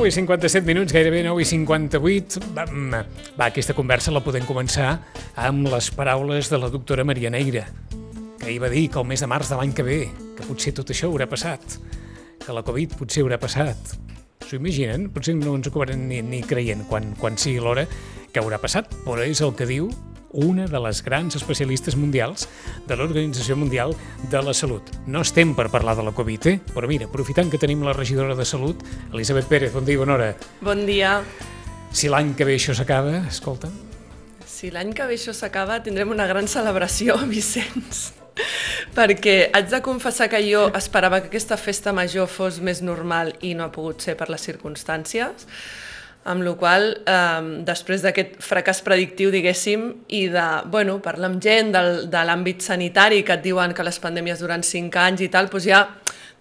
9:57, gairebé 9:58. Aquesta conversa la podem començar amb les paraules de la doctora Maria Neira, que ahir va dir que el mes de març de l'any que ve, que potser tot això haurà passat, que la Covid potser haurà passat. S'ho imaginen? Potser no ens ho acabarem ni creient quan sigui l'hora que haurà passat, però és el que diu una de les grans especialistes mundials de l'Organització Mundial de la Salut. No estem per parlar de la Covid, però mira, aprofitant que tenim la regidora de Salut, Elisabet Pérez, bon dia i bona hora. Bon dia. Si l'any que ve això s'acaba, escolta... Si l'any que ve això s'acaba, tindrem una gran celebració, Vicenç, perquè haig de confessar que jo esperava que aquesta festa major fos més normal i no ha pogut ser per les circumstàncies, amb la qual després d'aquest fracàs predictiu, diguéssim, i de, parlar amb gent de l'àmbit sanitari que et diuen que les pandèmies duren 5 anys i tal, doncs ja,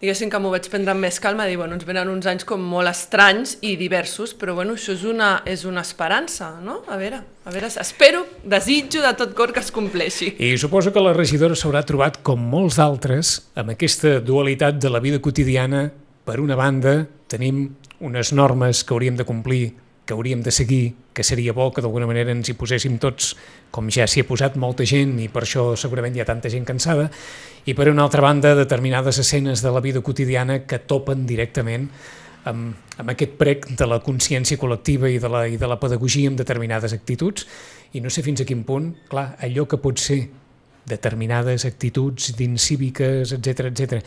diguéssim que m'ho vaig prendre amb més calma, dir, ens venen uns anys com molt estranys i diversos, però això és una esperança, no? A veure, espero, desitjo de tot cor que es compleixi. I suposo que la regidora s'haurà trobat, com molts d'altres, amb aquesta dualitat de la vida quotidiana. Per una banda, tenim unes normes que hauríem de complir, que hauríem de seguir, que seria bo que d'alguna manera ens hi poséssim tots, com ja s'hi ha posat molta gent i per això segurament hi ha tanta gent cansada, i per una altra banda determinades escenes de la vida quotidiana que topen directament amb aquest prec de la consciència col·lectiva i de la pedagogia amb determinades actituds, i no sé fins a quin punt, clar, allò que pot ser determinades actituds d'incíviques, etc.,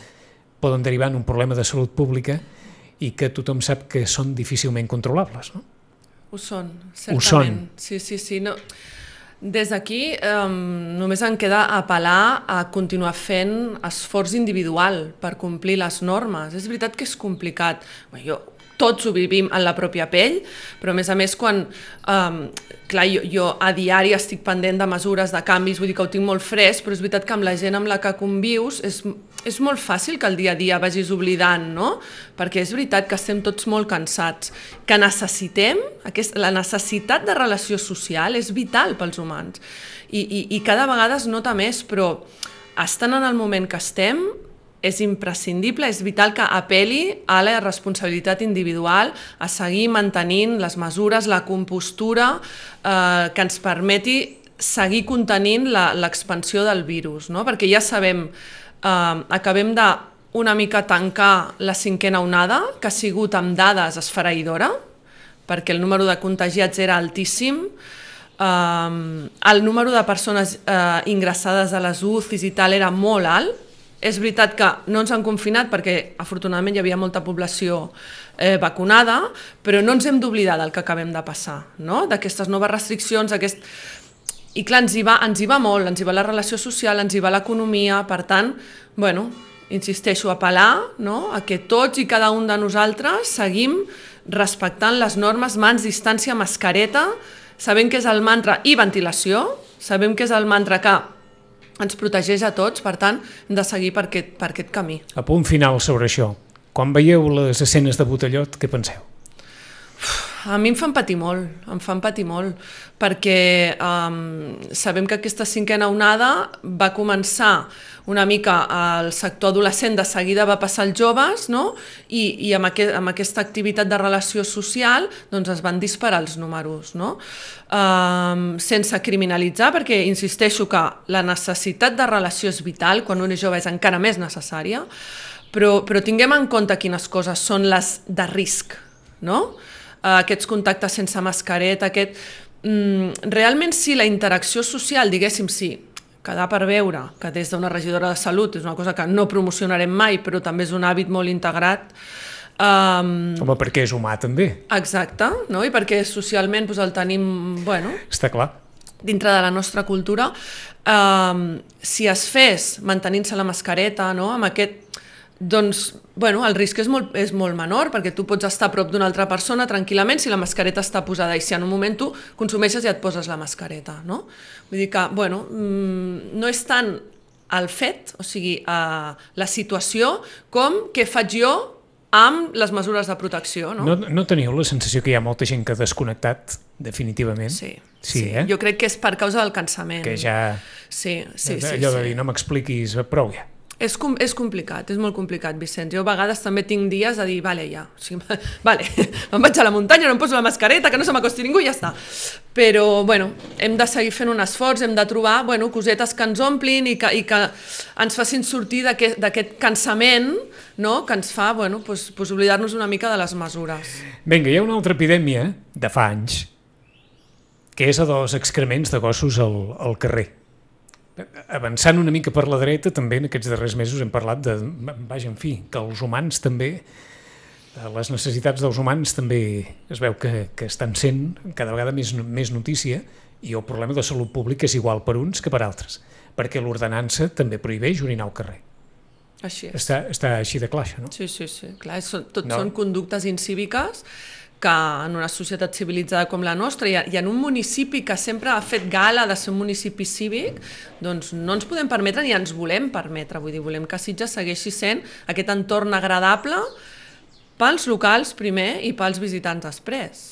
poden derivar en un problema de salut pública i que tothom sap que són difícilment controlables, no? Ho són, certament. Sí. No. Des d'aquí només em queda apel·lar a continuar fent esforç individual per complir les normes. És veritat que és complicat. Tots ho vivim en la pròpia pell, però a més quan, jo a diari estic pendent de mesures, de canvis, vull dir que ho tinc molt fresc, però és veritat que amb la gent amb la que convius és molt fàcil que el dia a dia vagis oblidant, no? Perquè és veritat que estem tots molt cansats, que necessitem, la necessitat de relació social és vital pels humans i cada vegada es nota més, però estant en el moment que estem, és imprescindible, és vital que apel·li a la responsabilitat individual, a seguir mantenint les mesures, la compostura que ens permeti seguir contenint l'expansió del virus, no? Perquè ja sabem, acabem de una mica tancar la 5a onada, que ha sigut amb dades esfereïdora, perquè el número de contagiats era altíssim, el número de persones ingressades a les UCIs i tal era molt alt. És veritat que no ens han confinat perquè afortunadament hi havia molta població vacunada, però no ens hem d'oblidar del que acabem de passar, no? D'aquestes noves restriccions, i clar, ens hi va molt, ens hi va la relació social, ens hi va l'economia, per tant, insisteixo, apel·lar, no? A que tots i cada un de nosaltres seguim respectant les normes, mans, distància, mascareta, sabem que és el mantra i ventilació, sabem que és el mantra que ens protegeix a tots, per tant, hem de seguir per aquest camí. A punt final sobre això, quan veieu les escenes de Botellot, què penseu? A mi em fan patir molt, perquè sabem que aquesta 5a onada va començar una mica al sector adolescent, de seguida va passar als joves, no? I amb aquesta activitat de relació social es van disparar els números, no? Sense criminalitzar, perquè insisteixo que la necessitat de relació és vital, quan un és jove és encara més necessària, però tinguem en compte quines coses són les de risc, no? Aquests contactes sense mascareta, realment sí, la interacció social, diguéssim, sí, quedar per veure, que des d'una regidora de salut és una cosa que no promocionarem mai, però també és un hàbit molt integrat. Home, perquè és humà també. Exacte, no? I perquè socialment el tenim, està clar, dintre de la nostra cultura. Si es fes mantenint-se la mascareta, no? Amb aquest... el risc és molt menor, perquè tu pots estar a prop d'una altra persona tranquil·lament si la mascareta està posada, i si en un moment tu consumeixes i et poses la mascareta, no? Vull dir que, no és tant el fet, o sigui, la situació, com què faig jo amb les mesures de protecció, no? No teniu la sensació que hi ha molta gent que ha desconnectat, definitivament? Sí. Jo crec que és per causa del cansament. Que ja... Sí. Allò de dir, no m'expliquis, prou ja. És complicat, és molt complicat, Vicenç. Jo a vegades també tinc dies a dir, vale, ja, o sigui, vale, me'n vaig a la muntanya, no em poso la mascareta, que no se m'acosti ningú i ja està. Però, bueno, hem de seguir fent un esforç, hem de trobar, bueno, cosetes que ens omplin i que ens facin sortir d'aquest cansament, no?, que ens fa, bueno, pues oblidar-nos una mica de les mesures. Vinga, hi ha una altra epidèmia de fa anys, que és la dels excrements de gossos al carrer. Avançant una mica per la dreta, també en aquests darrers mesos hem parlat de, vaja, en fi, que els humans també, les necessitats dels humans també es veu que estan sent cada vegada més notícia, i el problema de salut pública és igual per uns que per altres, perquè l'ordenança també prohibeix orinar al carrer. Així és. Està així de clar, això, no? Sí, clar, són conductes incíviques que en una societat civilitzada com la nostra i en un municipi que sempre ha fet gala de ser un municipi cívic, doncs no ens podem permetre ni ens volem permetre. Vull dir, volem que Sitges segueixi sent aquest entorn agradable pels locals primer i pels visitants després.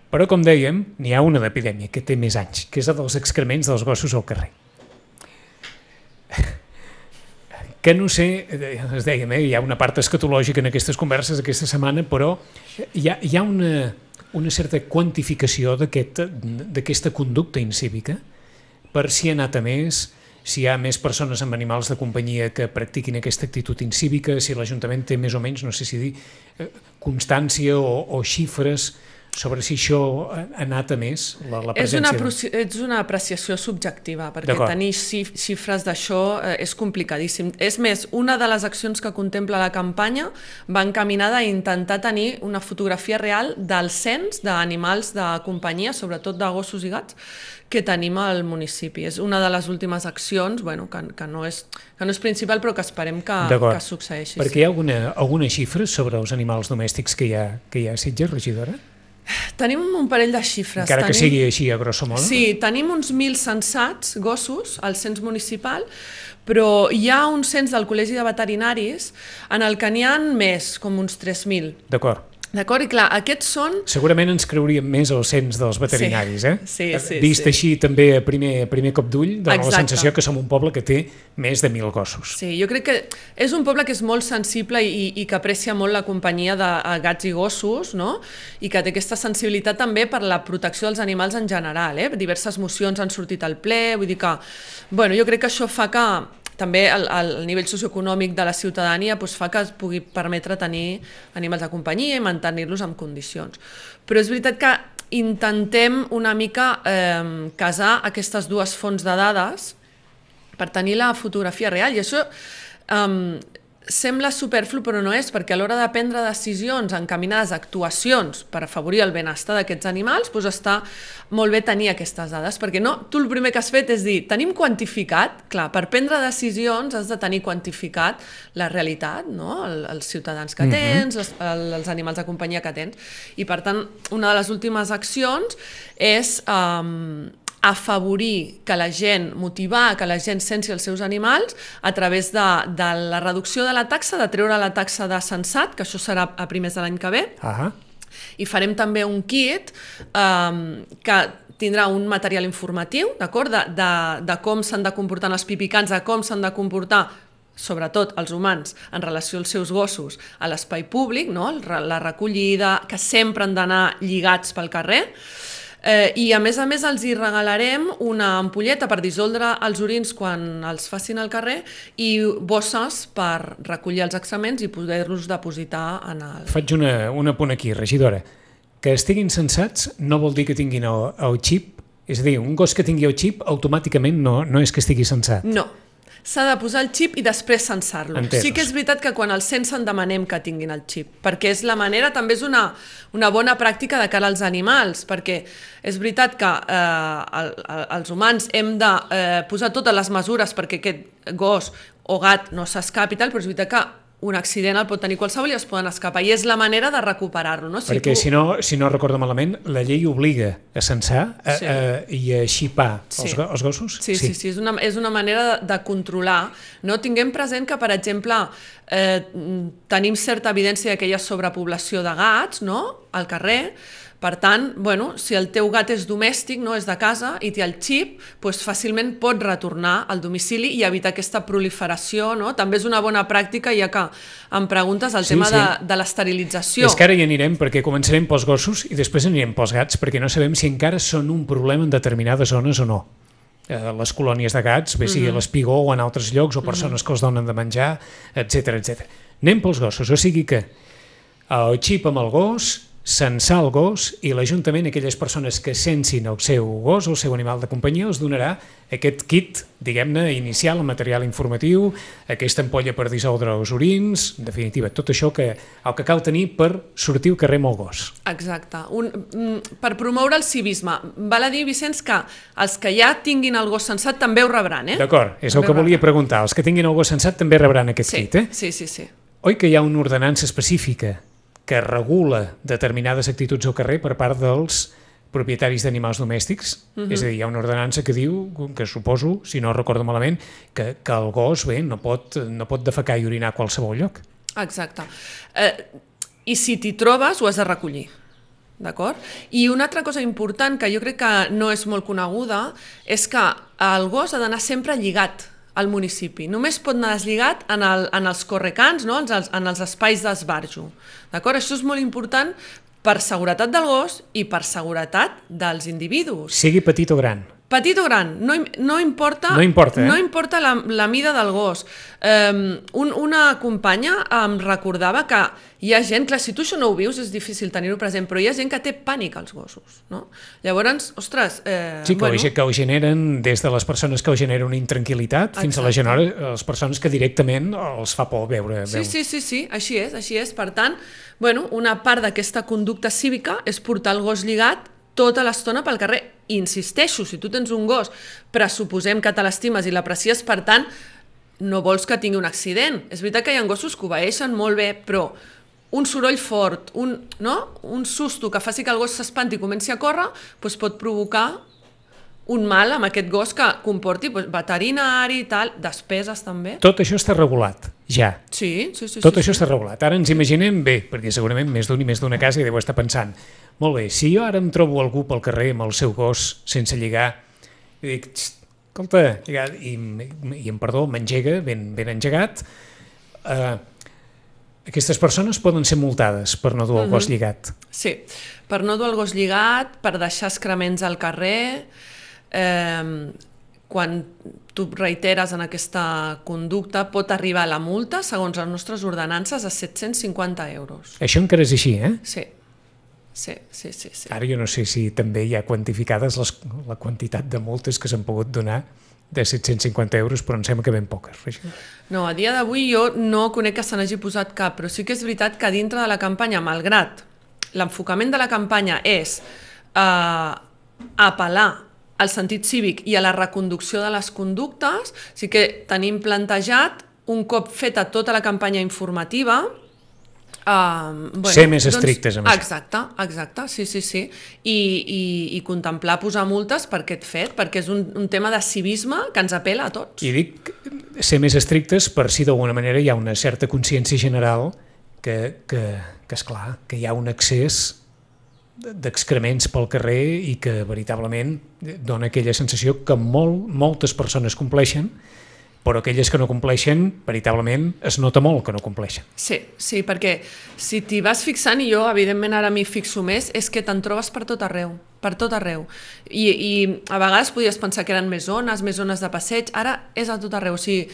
Però, com dèiem, n'hi ha una d'epidèmia que té més anys, que és la dels excrements dels gossos al carrer. Que no sé, es dèiem, hi ha una part escatològica en aquestes converses aquesta setmana, però hi ha una certa quantificació d'aquesta conducta incívica per si ha anat a més, si hi ha més persones amb animals de companyia que practiquin aquesta actitud incívica, si l'Ajuntament té més o menys, no sé si dir, constància o xifres sobre si això ha anat a més, la presència... És una apreciació subjectiva, perquè tenir xifres d'això és complicadíssim. És més, una de les accions que contempla la campanya va encaminada a intentar tenir una fotografia real del cens d'animals de companyia, sobretot de gossos i gats, que tenim al municipi. És una de les últimes accions, bueno, que no és principal, però que esperem que succeeixi. Perquè hi ha alguna xifra sobre els animals domèstics que hi ha a Sitges, regidora? Tenim un parell de xifres. Encara que sigui així, a grosso modo? Sí, tenim uns 1.000 censats gossos al cens municipal, però hi ha un cens del Col·legi de Veterinaris en el que n'hi ha més, com uns 3.000. D'acord. D'acord? I clar, aquests són... Segurament ens creuríem més el cens dels veterinaris, Sí. Vist així també a primer cop d'ull, dona la sensació que som un poble que té més de 1.000 gossos. Sí, jo crec que és un poble que és molt sensible i que aprecia molt la companyia de gats i gossos, no? I que té aquesta sensibilitat també per la protecció dels animals en general. Diverses mocions han sortit al ple, vull dir que... Bueno, jo crec que això fa que també el nivell socioeconòmic de la ciutadania fa que es pugui permetre tenir animals de companyia i mantenir-los en condicions. Però és veritat que intentem una mica casar aquestes dues fonts de dades per tenir la fotografia real, i això sembla superflu, però no és, perquè a l'hora de prendre decisions encaminades a actuacions per afavorir el benestar d'aquests animals, doncs està molt bé tenir aquestes dades, perquè no, tu el primer que has fet és dir, tenim quantificat, clar, per prendre decisions has de tenir quantificat la realitat, no? Els ciutadans que tens, els animals de companyia que tens, i per tant, una de les últimes accions és afavorir que la gent, motivar que la gent censi els seus animals a través de la reducció de la taxa, de treure la taxa de censat, que això serà a primers de l'any que ve, i farem també un kit que tindrà un material informatiu, d'acord, de com s'han de comportar els pipicans, de com s'han de comportar sobretot els humans en relació als seus gossos a l'espai públic, no? La recollida, que sempre han d'anar lligats pel carrer, i a més els hi regalarem una ampolleta per dissoldre els orins quan els facin al carrer i bosses per recollir els excrements i poder-los depositar en el... Faig un apunt aquí, regidora. Que estiguin censats no vol dir que tinguin el xip, és a dir, un gos que tingui el xip automàticament no és que estigui censat. No. S'ha de posar el xip i després censar-lo. Sí que és veritat que quan el censen demanem que tinguin el xip, perquè és la manera, també és una bona pràctica de cara als animals, perquè és veritat que els humans hem de posar totes les mesures perquè aquest gos o gat no s'escapi i tal, però és veritat que un accident el pot tenir qualsevol i es poden escapar, i és la manera de recuperar-lo. No? Perquè si no recordo malament, la llei obliga a censar i a xipar els gossos? Sí, és una manera de controlar. No? Tinguem present que, per exemple, tenim certa evidència que hi ha sobrepoblació de gats, no? Al carrer, Per tant, si el teu gat és domèstic, no és de casa i té el xip, fàcilment pot retornar al domicili i evitar aquesta proliferació, no? També és una bona pràctica, ja que em preguntes el tema de l'esterilització. És que ara hi anirem perquè començarem pels gossos i després anirem pels gats perquè no sabem si encara són un problema en determinades zones o no. Les colònies de gats, bé sigui a l'Espigó o en altres llocs, o persones que els donen de menjar, etc. Anem pels gossos, o sigui que el xip amb el gos, censar el gos i l'Ajuntament, aquelles persones que sensin el seu gos o el seu animal de companyia, els donarà aquest kit, diguem-ne, inicial, el material informatiu, aquesta ampolla per dissoldre els orins, en definitiva, tot això el que cal tenir per sortir al carrer amb el gos. Exacte. Per promoure el civisme. Val a dir, Vicenç, que els que ja tinguin el gos censat també ho rebran, eh? D'acord, és el que volia preguntar. Els que tinguin el gos censat també rebran aquest kit, eh? Sí. Oi que hi ha una ordenança específica que regula determinades actituds al carrer per part dels propietaris d'animals domèstics? És a dir, hi ha una ordenança que diu, que suposo, si no recordo malament, que el gos no pot defecar i orinar a qualsevol lloc. Exacte. I si t'hi trobes, ho has de recollir. D'acord? I una altra cosa important que jo crec que no és molt coneguda és que el gos ha d'anar sempre lligat al municipi. Només pot anar deslligat en els correcants, no? En els espais d'esbarjo. D'acord? Això és molt important per seguretat del gos i per seguretat dels individus. Sigui petit o gran. Petit o gran, no importa la mida del gos. Una companya em recordava que hi ha gent, clar, si tu això no ho vius és difícil tenir-ho present, però hi ha gent que té pànic als gossos, no? Llavors, ostres... Sí, que ho generen des de les persones que ho generen una intranquil·litat fins a les persones que directament els fa por veure. Sí, així és. Per tant, una part d'aquesta conducta cívica és portar el gos lligat tota l'estona pel carrer. I insisteixo, si tu tens un gos, pressuposem que te l'estimes i l'aprecies, per tant, no vols que tingui un accident. És veritat que hi ha gossos que obeeixen molt bé, però un soroll fort, un susto que faci que el gos s'espanti i comenci a córrer, pot provocar un mal amb aquest gos que comporti veterinari i tal, despeses també. Tot això està regulat, ja. Sí. Tot això està regulat. Ara ens imaginem bé, perquè segurament més d'un i més d'una casa hi deu estar pensant, molt bé, si jo ara em trobo algú pel carrer amb el seu gos sense lligar, i dic, escolta, i em perdó, m'engega, ben engegat, aquestes persones poden ser multades per no dur el gos lligat. Sí, per no dur el gos lligat, per deixar excrements al carrer, quan tu reiteres en aquesta conducta pot arribar la multa, segons les nostres ordenances, a 750 euros. Això encara és així, eh? Sí. Ara jo no sé si també hi ha quantificades la quantitat de multes que s'han pogut donar de 750 euros, però em sembla que ben poques. No, a dia d'avui jo no conec que se n'hagi posat cap, però sí que és veritat que dintre de la campanya, malgrat l'enfocament de la campanya és apel·lar al sentit cívic i a la reconducció de les conductes, sí que tenim plantejat, un cop feta tota la campanya informativa, ser més estrictes amb això. Exacte, sí. I contemplar posar multes per aquest fet, perquè és un tema de civisme que ens apela a tots. I dic ser més estrictes per si d'alguna manera hi ha una certa consciència general que esclar, que hi ha un excés d'excrements pel carrer i que veritablement dona aquella sensació que moltes persones compleixen, però aquelles que no compleixen, veritablement, es nota molt que no compleixen. Sí, perquè si t'hi vas fixant, i jo, evidentment, ara m'hi fixo més, és que te'n trobes per tot arreu. I a vegades podies pensar que eren més zones de passeig, ara és a tot arreu. O sigui,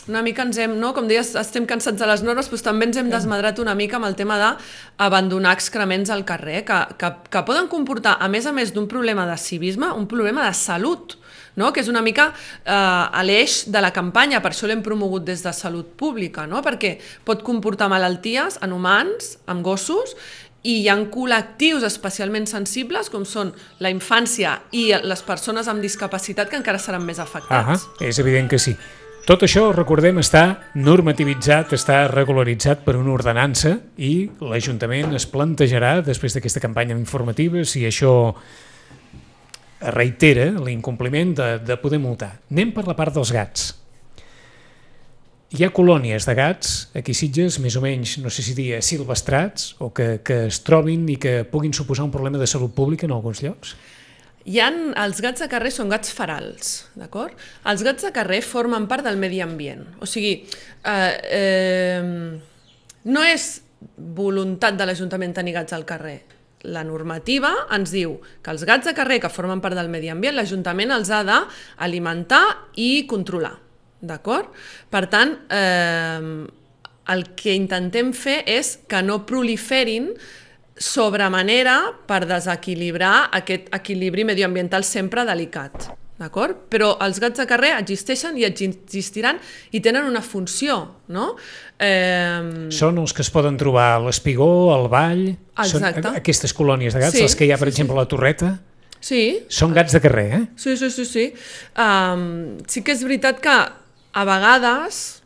una mica ens hem, no? Com deies, estem cansats de les normes, doncs també ens hem desmadrat una mica amb el tema d'abandonar excrements al carrer, que poden comportar, a més d'un problema de civisme, un problema de salut, no? Que és una mica l'eix de la campanya, per això l'hem promogut des de Salut Pública, no? Perquè pot comportar malalties en humans, en gossos, i hi ha col·lectius especialment sensibles, com són la infància i les persones amb discapacitat, que encara seran més afectats. És evident que sí. Tot això, recordem, està normativitzat, està regularitzat per una ordenança i l'Ajuntament es plantejarà, després d'aquesta campanya informativa, si això reitera l'incompliment de poder multar. Anem per la part dels gats. Hi ha colònies de gats, aquí a Sitges, més o menys, no sé si dir silvestrats, o que es trobin i que puguin suposar un problema de salut pública en alguns llocs? Els gats de carrer són gats ferals, d'acord? Els gats de carrer formen part del medi ambient. O sigui, no és voluntat de l'Ajuntament tenir gats al carrer. La normativa ens diu que els gats de carrer que formen part del medi ambient, l'Ajuntament els ha d'alimentar i controlar. D'acord? Per tant, el que intentem fer és que no proliferin sobremanera per desequilibrar aquest equilibri medioambiental sempre delicat. D'acord? Però els gats de carrer existeixen i existiran i tenen una funció, no? Són els que es poden trobar a l'Espigó, al Vall, són aquestes colònies de gats, les que hi ha, per exemple, a la Torreta. Sí. Són gats de carrer, eh? Sí. Sí que és veritat que a vegades,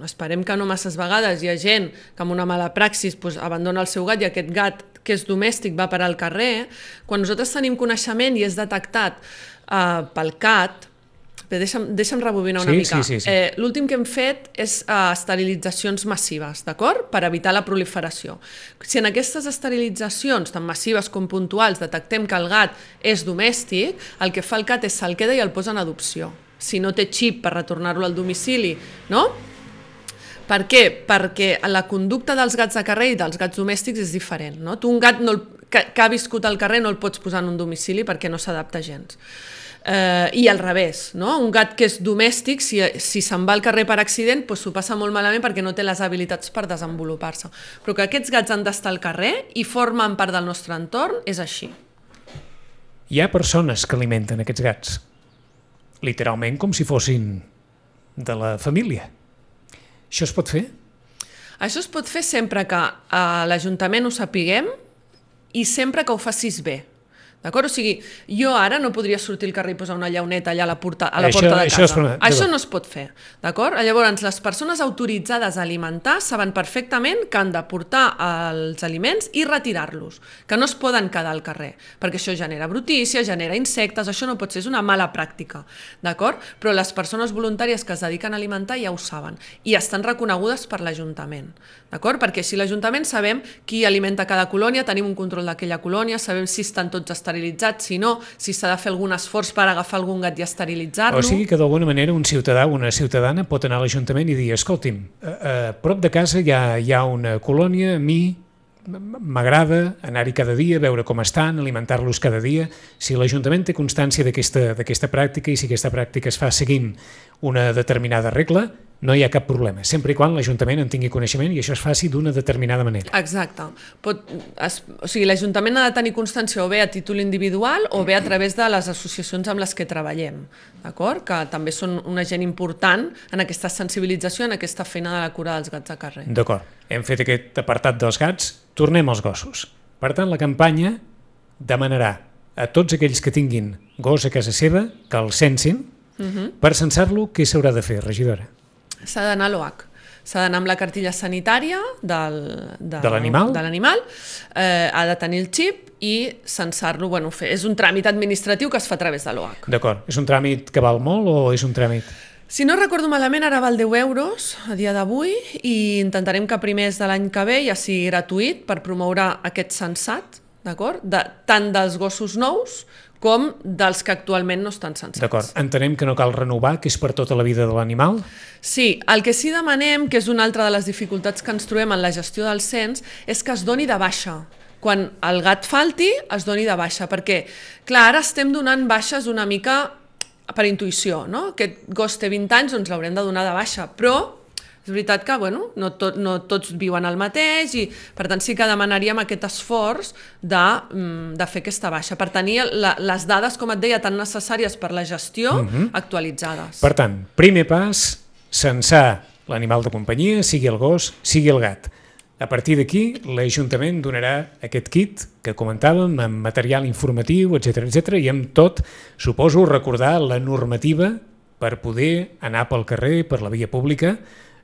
esperem que no masses vegades, hi ha gent que amb una mala praxis abandona el seu gat i aquest gat que és domèstic va parar al carrer. Quan nosaltres tenim coneixement i és detectat pel CAT, deixa'm rebobinar una mica. Sí. L'últim que hem fet és esterilitzacions massives, d'acord? Per evitar la proliferació. Si en aquestes esterilitzacions, tant massives com puntuals, detectem que el gat és domèstic, el que fa el CAT és se'l queda i el posa en adopció. Si no té xip per retornar-lo al domicili, no? Per què? Perquè la conducta dels gats de carrer i dels gats domèstics és diferent, no? Tu un gat que ha viscut al carrer no el pots posar en un domicili perquè no s'adapta gens. I al revés, no? Un gat que és domèstic, si se'n va al carrer per accident, s'ho passa molt malament perquè no té les habilitats per desenvolupar-se. Però que aquests gats han d'estar al carrer i formen part del nostre entorn, és així. Hi ha persones que alimenten aquests gats, literalment com si fossin de la família. Això es pot fer? Això es pot fer sempre que a l'Ajuntament ho sapiguem i sempre que ho facis bé. D'acord? O sigui, jo ara no podria sortir al carrer i posar una llauneta allà a la porta de casa. Això no es pot fer. D'acord? Llavors, les persones autoritzades a alimentar saben perfectament que han de portar els aliments i retirar-los, que no es poden quedar al carrer, perquè això genera brutícia, genera insectes, això no pot ser, és una mala pràctica. D'acord? Però les persones voluntàries que es dediquen a alimentar ja ho saben i estan reconegudes per l'Ajuntament. D'acord? Perquè així l'Ajuntament sabem qui alimenta cada colònia, tenim un control d'aquella colònia, sabem si estan tots esterilitzats, si no, si s'ha de fer algun esforç per agafar algun gat i esterilitzar-lo. O sigui que d'alguna manera un ciutadà o una ciutadana pot anar a l'Ajuntament i dir, escolti'm, a prop de casa hi ha una colònia, a mi m'agrada anar-hi cada dia, veure com estan, alimentar-los cada dia. Si l'Ajuntament té constància d'aquesta pràctica i si aquesta pràctica es fa seguint una determinada regla, no hi ha cap problema, sempre i quan l'Ajuntament en tingui coneixement i això es faci d'una determinada manera. Exacte. O sigui, l'Ajuntament ha de tenir constància o bé a títol individual o bé a través de les associacions amb les que treballem, d'acord? Que també són una gent important en aquesta sensibilització, en aquesta feina de la cura dels gats de carrer. D'acord. Hem fet aquest apartat dels gats, tornem als gossos. Per tant, la campanya demanarà a tots aquells que tinguin gos a casa seva que el censin. Per censar-lo, què s'haurà de fer, regidora? S'ha d'anar a l'OH. S'ha d'anar amb la cartilla sanitària de l'animal, ha de tenir el xip i censar-lo. Bueno, és un tràmit administratiu que es fa a través de l'OH. D'acord. És un tràmit que val molt o és un tràmit? Si no recordo malament, ara val 10 euros a dia d'avui i intentarem que a primers de l'any que ve ja sigui gratuït per promoure aquest censat, d'acord? Tant dels gossos nous com dels que actualment no estan censats. D'acord. Entenem que no cal renovar, que és per tota la vida de l'animal? Sí, el que sí demanem, que és una altra de les dificultats que ens trobem en la gestió del cens, és que es doni de baixa. Quan el gat falti, es doni de baixa, perquè, clar, ara estem donant baixes una mica per intuïció, no? Aquest gos té 20 anys, doncs l'haurem de donar de baixa, però és veritat que no tots viuen el mateix i per tant sí que demanaríem aquest esforç de fer aquesta baixa per tenir les dades, com et deia, tan necessàries per la gestió actualitzades. Per tant, primer pas, censar l'animal de companyia, sigui el gos, sigui el gat. A partir d'aquí, l'Ajuntament donarà aquest kit que comentàvem, amb material informatiu, etc i amb tot, suposo, recordar la normativa per poder anar pel carrer, per la via pública,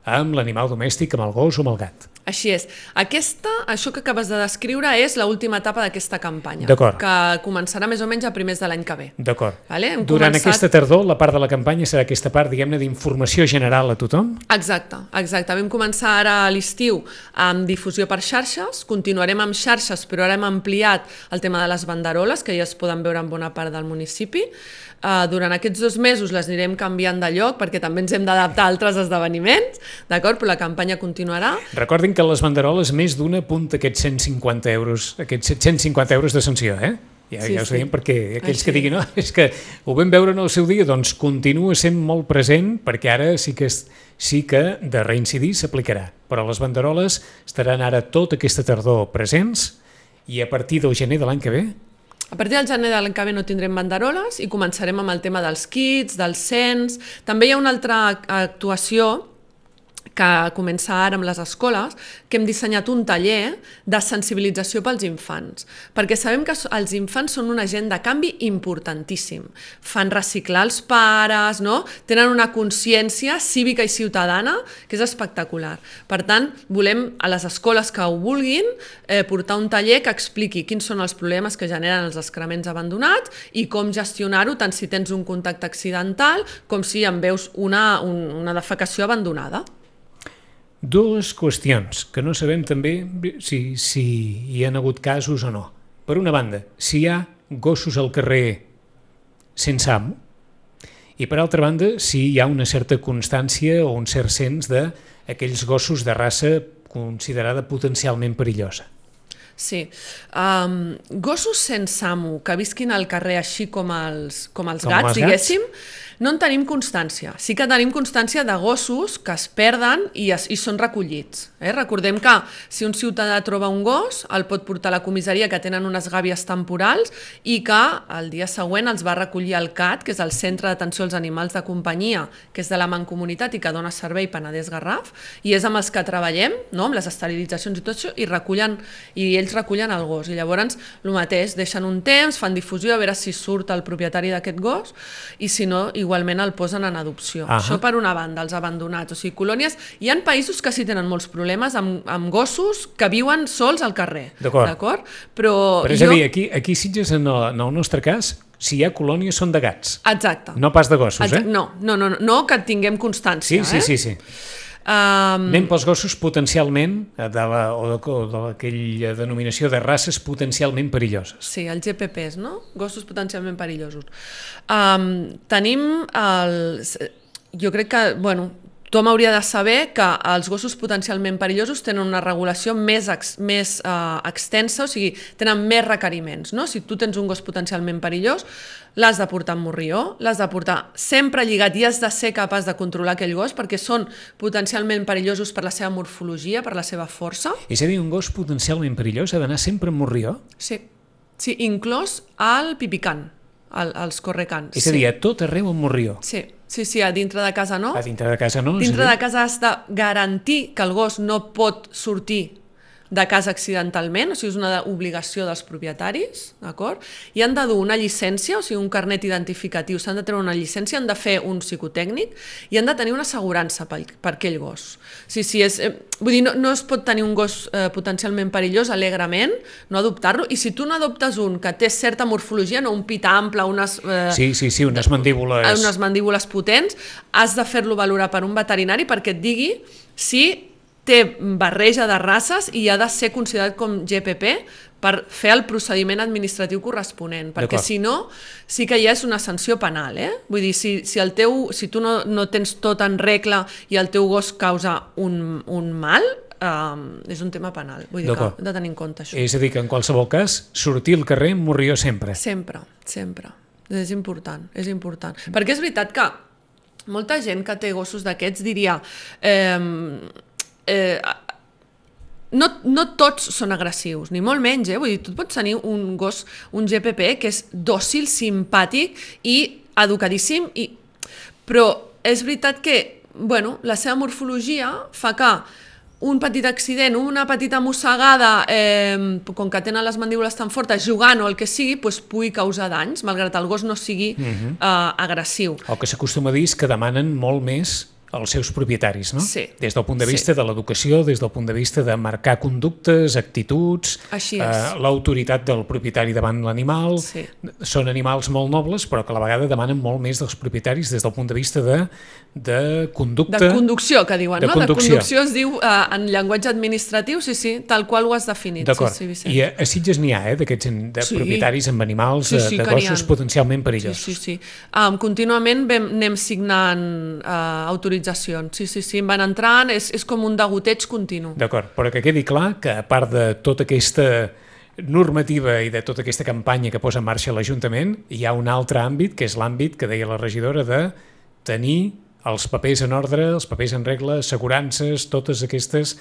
amb l'animal domèstic, amb el gos o amb el gat. Així és. Això que acabes de descriure és l'última etapa d'aquesta campanya, que començarà més o menys a primers de l'any que ve. D'acord. Durant aquesta tardor, la part de la campanya serà aquesta part, diguem-ne, d'informació general a tothom? Exacte. Vam començar ara a l'estiu amb difusió per xarxes, continuarem amb xarxes, però ara hem ampliat el tema de les banderoles, que ja es poden veure en bona part del municipi. Durant aquests 2 mesos les anirem canviant de lloc perquè també ens hem d'adaptar a altres esdeveniments, d'acord? Però la campanya continuarà. Recordin que les banderoles més d'una apunta aquests 150 euros, aquests 750 euros de sanció, Ja us veiem, perquè aquells que diguin és que ho vam veure en el seu dia, doncs continua sent molt present, perquè ara sí que de reincidir s'aplicarà. Però les banderoles estaran ara tota aquesta tardor presents i a partir del gener de l'any que ve? A partir del gener de l'any que ve no tindrem banderoles i començarem amb el tema dels kits, del cens. També hi ha una altra actuació que comença ara amb les escoles, que hem dissenyat un taller de sensibilització pels infants, perquè sabem que els infants són un agent de canvi importantíssim. Fan reciclar els pares, no? Tenen una consciència cívica i ciutadana que és espectacular. Per tant, volem a les escoles que ho vulguin portar un taller que expliqui quins són els problemes que generen els excrements abandonats i com gestionar-ho, tant si tens un contacte accidental com si en veus una defecació abandonada. 2 qüestions que no sabem també si hi ha hagut casos o no. Per una banda, si hi ha gossos al carrer sense amo, i per altra banda, si hi ha una certa constància o un cert cens d'aquells gossos de raça considerada potencialment perillosa. Sí. Gossos sense amo que visquin al carrer així com els gats, diguéssim, no en tenim constància. Sí que tenim constància de gossos que es perden i són recollits. Recordem que si un ciutadà troba un gos, el pot portar a la comissaria, que tenen unes gàbies temporals, i que el dia següent els va recollir el CAT, que és el Centre d'Atenció als Animals de Companyia, que és de la Mancomunitat i que dona servei Penedès-Garraf, i és amb els que treballem, amb les esterilitzacions i tot això, i ells recullen el gos. I llavors, el mateix, deixen un temps, fan difusió, a veure si surt el propietari d'aquest gos, i si no, igualment el posen en adopció. Això per una banda, els abandonats. O sigui, colònies... Hi ha països que sí tenen molts problemes amb gossos que viuen sols al carrer. D'acord? Però és a dir, aquí Sitges, en el nostre cas, si hi ha colònies són de gats. Exacte. No pas de gossos, No que tinguem constància. Sí. Anem pels gossos potencialment, o d'aquella denominació de races potencialment perilloses. Sí, els GPPs, no? Gossos potencialment perillosos. Tenim jo crec que, tothom hauria de saber que els gossos potencialment perillosos tenen una regulació més extensa, o sigui, tenen més requeriments. Si tu tens un gos potencialment perillós, l'has de portar amb morrió, l'has de portar sempre lligat i has de ser capaç de controlar aquell gos perquè són potencialment perillosos per la seva morfologia, per la seva força. És a dir, un gos potencialment perillós ha d'anar sempre amb morrió? Sí, inclòs el pipicant, els correcants. És a dir, a tot arreu amb morrió? Sí, a dintre de casa no. A dintre de casa no? Dintre de casa has de garantir que el gos no pot sortir de casa accidentalment, o sigui, és una obligació dels propietaris, d'acord? I han de dur una llicència, o sigui, un carnet identificatiu, s'han de treure una llicència, han de fer un psicotècnic i han de tenir una assegurança per aquell gos. Vull dir, no es pot tenir un gos potencialment perillós alegrement, no adoptar-lo, i si tu no adoptes un que té certa morfologia, un pit ample, unes mandíbules... unes mandíbules potents, has de fer-lo valorar per un veterinari perquè et digui si té barreja de races i ha de ser considerat com GPP per fer el procediment administratiu corresponent, perquè si no, sí que ja és una sanció penal. Vull dir, si tu no tens tot en regla i el teu gos causa un mal, és un tema penal. Vull dir que hem de tenir en compte això. És a dir, que en qualsevol cas, sortir al carrer amb morrió sempre. Sempre. És important. Perquè és veritat que molta gent que té gossos d'aquests diria... No tots són agressius, ni molt menys, vull dir, tu pots tenir un gos, un GPP, que és dòcil, simpàtic i educadíssim, però és veritat que la seva morfologia fa que un petit accident, una petita mossegada, com que tenen les mandíbules tan fortes, jugant o el que sigui, pugui causar danys, malgrat el gos no sigui agressiu. El que s'acostuma a dir és que demanen molt més els seus propietaris, no? Sí. Des del punt de vista de l'educació, des del punt de vista de marcar conductes, actituds, l'autoritat del propietari davant l'animal. Sí. Són animals molt nobles, però que a la vegada demanen molt més dels propietaris des del punt de vista de conducta. De conducció, que diuen, no? Conducció. De conducció es diu en llenguatge administratiu, sí, tal qual ho has definit. D'acord. Sí, I a Sitges n'hi ha, d'aquests propietaris amb animals, de gossos potencialment perillosos. Sí. Contínuament anem signant autoritzacions. Sí, van entrant, és com un degoteig continu. D'acord, però que quedi clar que a part de tota aquesta normativa i de tota aquesta campanya que posa en marxa l'Ajuntament, hi ha un altre àmbit, que és l'àmbit que deia la regidora de tenir els papers en ordre, els papers en regla, assegurances, totes aquestes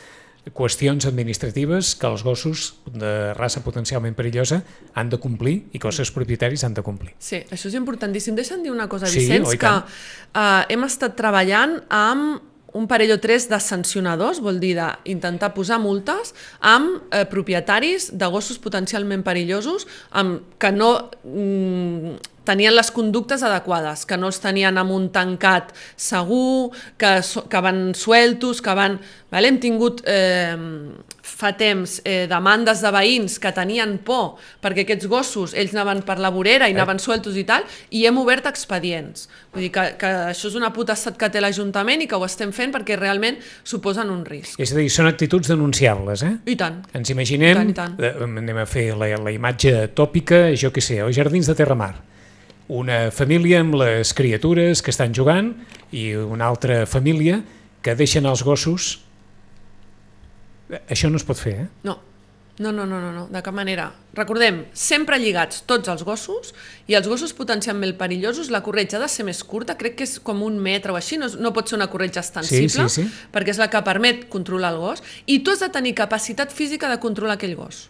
qüestions administratives que els gossos de raça potencialment perillosa han de complir i que els seus propietaris han de complir. Sí, això és importantíssim. Deixa'm dir una cosa, Sí, Vicenç, oi que hem estat treballant amb un parell o tres de sancionadors, vol dir d'intentar posar multes amb propietaris de gossos potencialment perillosos que no tenien les conductes adequades, que no els tenien amb un tancat segur, que van sueltos, que van... Hem tingut fa temps demandes de veïns que tenien por perquè aquests gossos, ells anaven per la vorera i anaven sueltos i tal, i hem obert expedients. Vull dir que això és una potestat que té l'Ajuntament i que ho estem fent perquè realment suposen un risc. És a dir, són actituds denunciables, eh? I tant. Ens imaginem, I tant. anem a fer la imatge tòpica, jo què sé, als Jardins de Terramar. Una família amb les criatures que estan jugant i una altra família que deixen els gossos. Això no es pot fer, eh? No, de cap manera. Recordem, sempre lligats tots els gossos, i els gossos potencialment perillosos, la corretja ha de ser més curta, crec que és com 1 metre o així, no pot ser una corretja extensible, sí. perquè és la que permet controlar el gos, i tu has de tenir capacitat física de controlar aquell gos.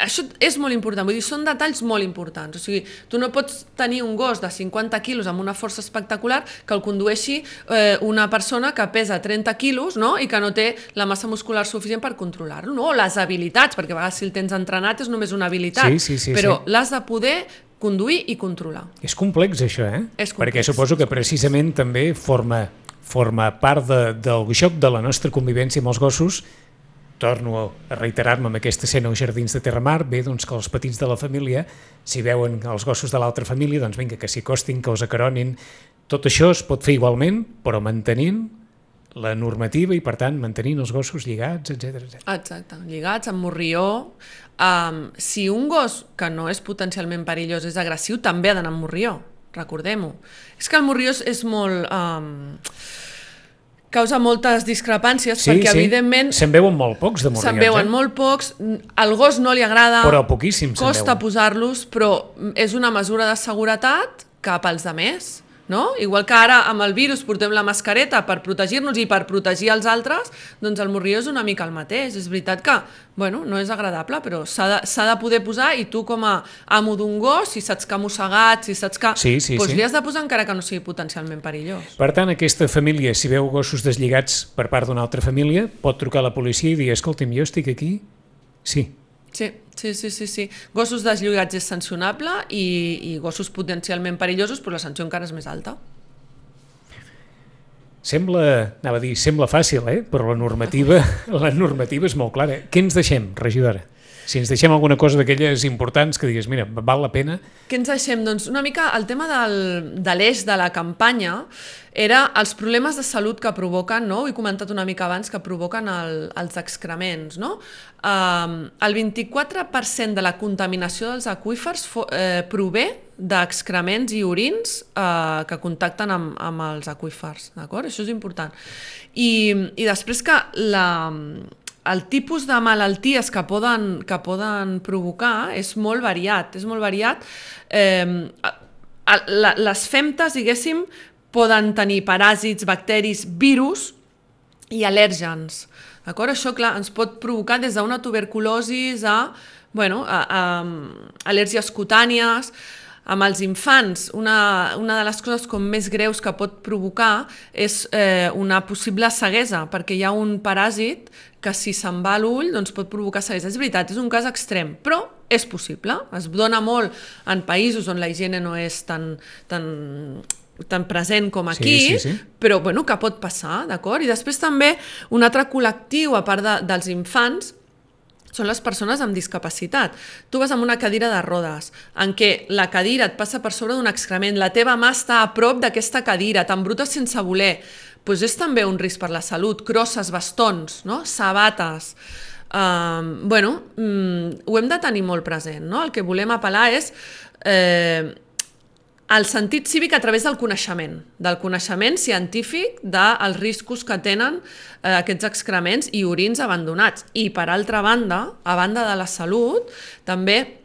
Això és molt important, vull dir, són detalls molt importants. O sigui, tu no pots tenir un gos de 50 quilos amb una força espectacular que el condueixi una persona que pesa 30 quilos, no? I que no té la massa muscular suficient per controlar-lo, no? O les habilitats, perquè a vegades si el tens entrenat és només una habilitat, però l'has de poder conduir i controlar. És complex això, eh? És complex. Perquè suposo que precisament també forma part del joc de la nostra convivència amb els gossos. Torno a reiterar-me amb aquesta escena als Jardins de Terramar, bé, doncs que els petits de la família, si veuen els gossos de l'altra família, doncs vinga, que s'hi acostin, que els acaronin. Tot això es pot fer igualment, però mantenint la normativa i, per tant, mantenint els gossos lligats, etc. Exacte, lligats, amb morrió. Si un gos que no és potencialment perillós és agressiu, també ha d'anar amb morrió, recordem-ho. És que el morrió és molt... causa moltes discrepàncies, perquè evidentment... Se'n veuen molt pocs de morrions. Se'n veuen molt pocs, al gos no li agrada, però poquíssims se'n veuen. Costa posar-los, però és una mesura de seguretat cap als altres, no? Igual que ara amb el virus portem la mascareta per protegir-nos i per protegir els altres, doncs el morrió és una mica el mateix. És veritat que, bueno, no és agradable, però s'ha de poder posar, i tu com a amo d'un gos, si saps que ha mossegat, si saps que... doncs li has de posar encara que no sigui potencialment perillós. Per tant, aquesta família, si veu gossos deslligats per part d'una altra família, pot trucar a la policia i dir, escolta'm, jo estic aquí? Sí. Sí. Gossos deslligats és sancionable i gossos potencialment perillosos, però la sanció encara és més alta. Sembla fàcil, però la normativa és molt clara. Què ens deixem, regidora? Si ens deixem alguna cosa d'aquelles importants que digues, mira, val la pena... Què ens deixem? Doncs una mica el tema de l'eix de la campanya era els problemes de salut que provoquen, no? Ho he comentat una mica abans, que provoquen els excrements, no? El 24% de la contaminació dels aqüífers prové d'excrements i orins que contacten amb els aqüífers, d'acord? Això és important. I després que el tipus de malalties que poden provocar és molt variat. Les femtes, diguéssim, poden tenir paràsits, bacteris, virus i al·lèrgens. D'acord? Això, clar, ens pot provocar des d'una tuberculosi a al·lèrgies cutànies. Amb els infants, una de les coses com més greus que pot provocar és una possible ceguesa, perquè hi ha un paràsit que si se'n va a l'ull doncs pot provocar ceguesa. És veritat, és un cas extrem, però és possible. Es dona molt en països on la higiene no és tan tan present com aquí, però bueno, que pot passar, d'acord? I després també un altre col·lectiu, a part dels infants, són les persones amb discapacitat. Tu vas amb una cadira de rodes, en què la cadira et passa per sobre d'un excrement, la teva mà està a prop d'aquesta cadira, t'embrutes sense voler, doncs és també un risc per la salut. Crosses, bastons, no? Sabates... ho hem de tenir molt present, no? El que volem apel·lar és el sentit cívic a través del coneixement científic dels riscos que tenen aquests excrements i orins abandonats. I, per altra banda, a banda de la salut, també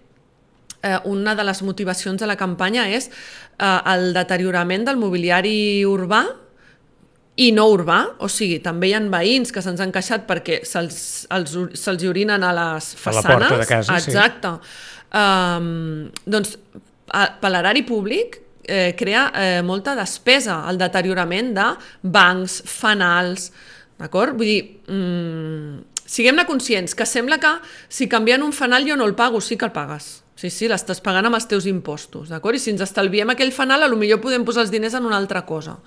una de les motivacions de la campanya és el deteriorament del mobiliari urbà i no urbà, o sigui, també hi ha veïns que se'ns han queixat perquè se'ls orinen a les façanes. A la porta de casa, exacte. Doncs per l'erari públic crea molta despesa, el deteriorament de bancs, fanals, d'acord? Vull dir, siguem-ne conscients, que sembla que si canvien un fanal jo no el pago, sí que el pagues. Sí, l'estàs pagant amb els teus impostos, d'acord? I si ens estalviem aquell fanal, potser podem posar els diners en una altra cosa.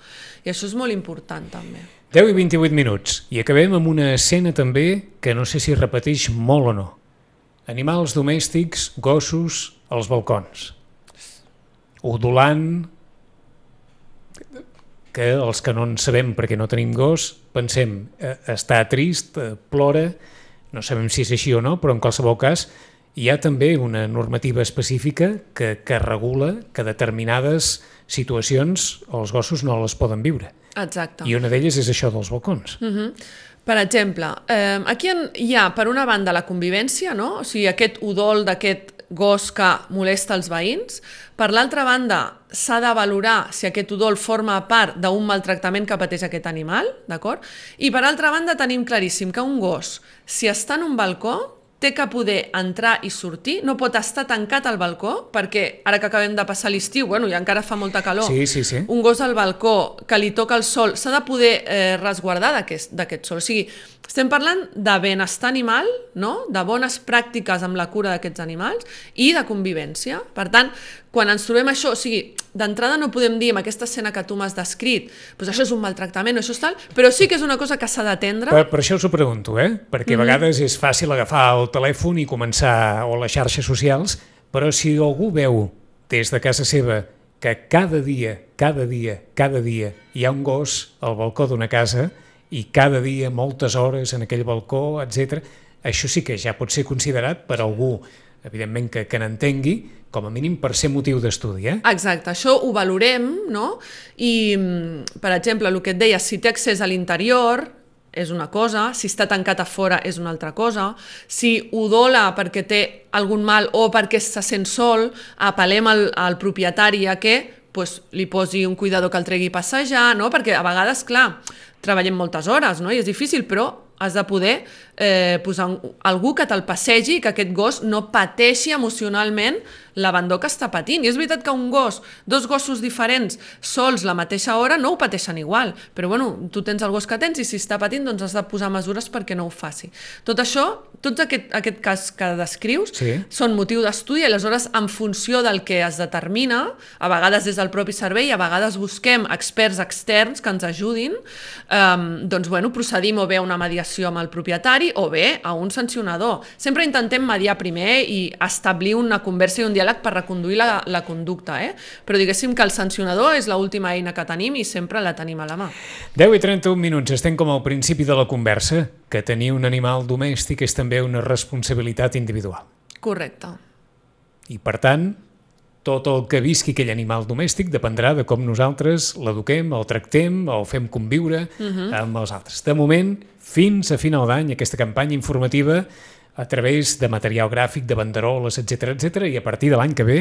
I això és molt important, també. 10 i 28 minuts. I acabem amb una escena també que no sé si repeteix molt o no. Animals domèstics, gossos, als balcons. Udolant, que els que no en sabem perquè no tenim gos, pensem, està trist, plora, no sabem si és així o no, però en qualsevol cas hi ha també una normativa específica que regula que determinades situacions els gossos no les poden viure. Exacte. I una d'elles és això dels balcons. Per exemple, aquí hi ha, per una banda, la convivència, no? O sigui, aquest udol d'aquest gos que molesta els veïns. Per l'altra banda, s'ha de valorar si aquest udol forma part d'un maltractament que pateix aquest animal, d'acord? I per altra banda, tenim claríssim que un gos, si està en un balcó, té que poder entrar i sortir, no pot estar tancat al balcó, perquè ara que acabem de passar l'estiu, i encara fa molta calor, un gos al balcó que li toca el sol, s'ha de poder resguardar d'aquest sol. O sigui, estem parlant de benestar animal, no? De bones pràctiques amb la cura d'aquests animals i de convivència. Per tant, quan ens trobem això, o sigui, d'entrada no podem dir amb aquesta escena que tu m'has descrit, doncs això és un maltractament o això és tal, però sí que és una cosa que s'ha d'atendre. Per això us ho pregunto, perquè a vegades és fàcil agafar el telèfon i començar, o les xarxes socials, però si algú veu des de casa seva que cada dia hi ha un gos al balcó d'una casa i cada dia moltes hores en aquell balcó, etc., això sí que ja pot ser considerat per algú, evidentment que n'entengui, com a mínim per ser motiu d'estudi. Exacte, això ho valorem, no? I, per exemple, el que et deia, si té accés a l'interior, és una cosa, si està tancat a fora és una altra cosa, si udola perquè té algun mal o perquè se sent sol, apel·lem al propietari a que li posi un cuidador que el tregui a passejar, no? Perquè a vegades, clar, treballem moltes hores, no? I és difícil, però has de poder posar algú que te'l passegi i que aquest gos no pateixi emocionalment l'abandó que està patint. I és veritat que un gos, dos gossos diferents, sols la mateixa hora, no ho pateixen igual. Però tu tens el gos que tens i si està patint, doncs has de posar mesures perquè no ho faci. Tot això, tots aquest cas que descrius, són motiu d'estudi i aleshores, en funció del que es determina, a vegades des del propi servei, a vegades busquem experts externs que ens ajudin, doncs procedim o bé a una mediació amb el propietari o bé a un sancionador. Sempre intentem mediar primer i establir una conversa i un diàleg per reconduir la conducta, però diguéssim que el sancionador és l'última eina que tenim i sempre la tenim a la mà. 10 i 31 minuts, estem com al principi de la conversa, que tenir un animal domèstic és també una responsabilitat individual. Correcte. I per tant, tot el que visqui aquell animal domèstic dependrà de com nosaltres l'eduquem, el tractem, el fem conviure amb els altres. De moment, fins a final d'any, aquesta campanya informativa a través de material gràfic, de banderoles, etc., i a partir de l'any que ve,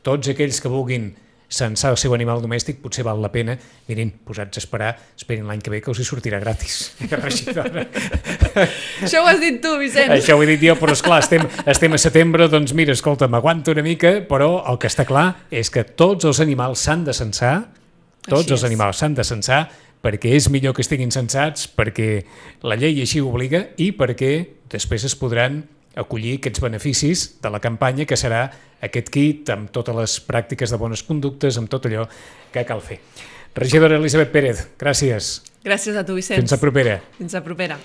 tots aquells que vulguin censar el seu animal domèstic potser val la pena, mirin, posats a esperar, esperin l'any que ve que els hi sortirà gratis. Això ho has dit tu, Vicent. Això ho he dit jo, però esclar, estem a setembre, doncs mira, escolta, m'aguanto una mica, però el que està clar és que tots els animals s'han de censar, perquè és millor que estiguin censats, perquè la llei així ho obliga i perquè després es podran acollir aquests beneficis de la campanya, que serà aquest kit amb totes les pràctiques de bones conductes, amb tot allò que cal fer. Regidora Elisabet Pérez, gràcies. Gràcies a tu, Vicenç. Fins a propera. Fins a propera.